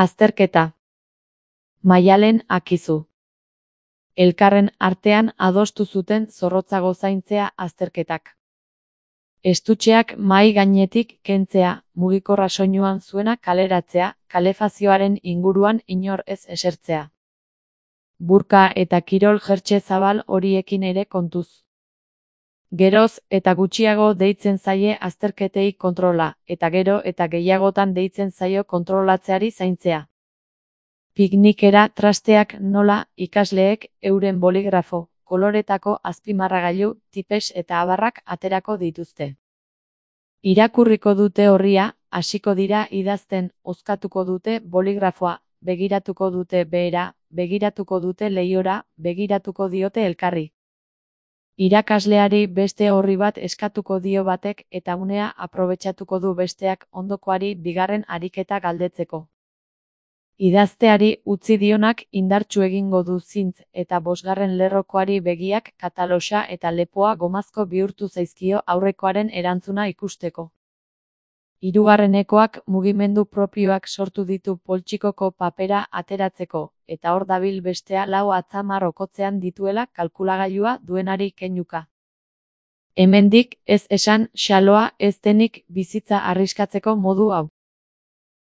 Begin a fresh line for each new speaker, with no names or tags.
Azterketa. Maialen Akizu. Elkarren artean adostu zuten zorrotzago zaintzea azterketak. Estutxeak mahai gainetik kentzea, mugikorra soinuan zuena kaleratzea, kalefazioaren inguruan inor ez esertzea. Burka eta kirol jertse zabal horiekin ere kontuz. Geroz eta gutxiago deitzen zaie azterketei kontrola, eta gero eta gehiagotan deitzen zaio kontrolatzeari zaintzea. Piknikera trasteak nola ikasleek euren boligrafo, koloretako azpimarragailu, tipes eta abarrak aterako dituzte. Irakurriko dute orria, hasiko dira idazten, hozkatuko dute boligrafoa, begiratuko dute behera, begiratuko dute leihora, begiratuko diote elkarri. Irakasleari beste orri bat eskatuko dio batek eta unea aprobetxatuko du besteak ondokoari bigarren ariketa galdetzeko. Idazteari utzi dionak indartsu egingo du zintz eta bosgarren lerrokoari begiak kataloxa eta lepoa gomazko bihurtu zaizkio aurrekoaren erantzuna ikusteko. Hirugarrenekoak mugimendu propioak sortu ditu poltsikoko papera ateratzeko, eta hor dabil bestea 4 atzamar okotzean dituela kalkulagailua duenari keinuka. Hemendik ez esan xaloa ez denik bizitza arriskatzeko modu hau.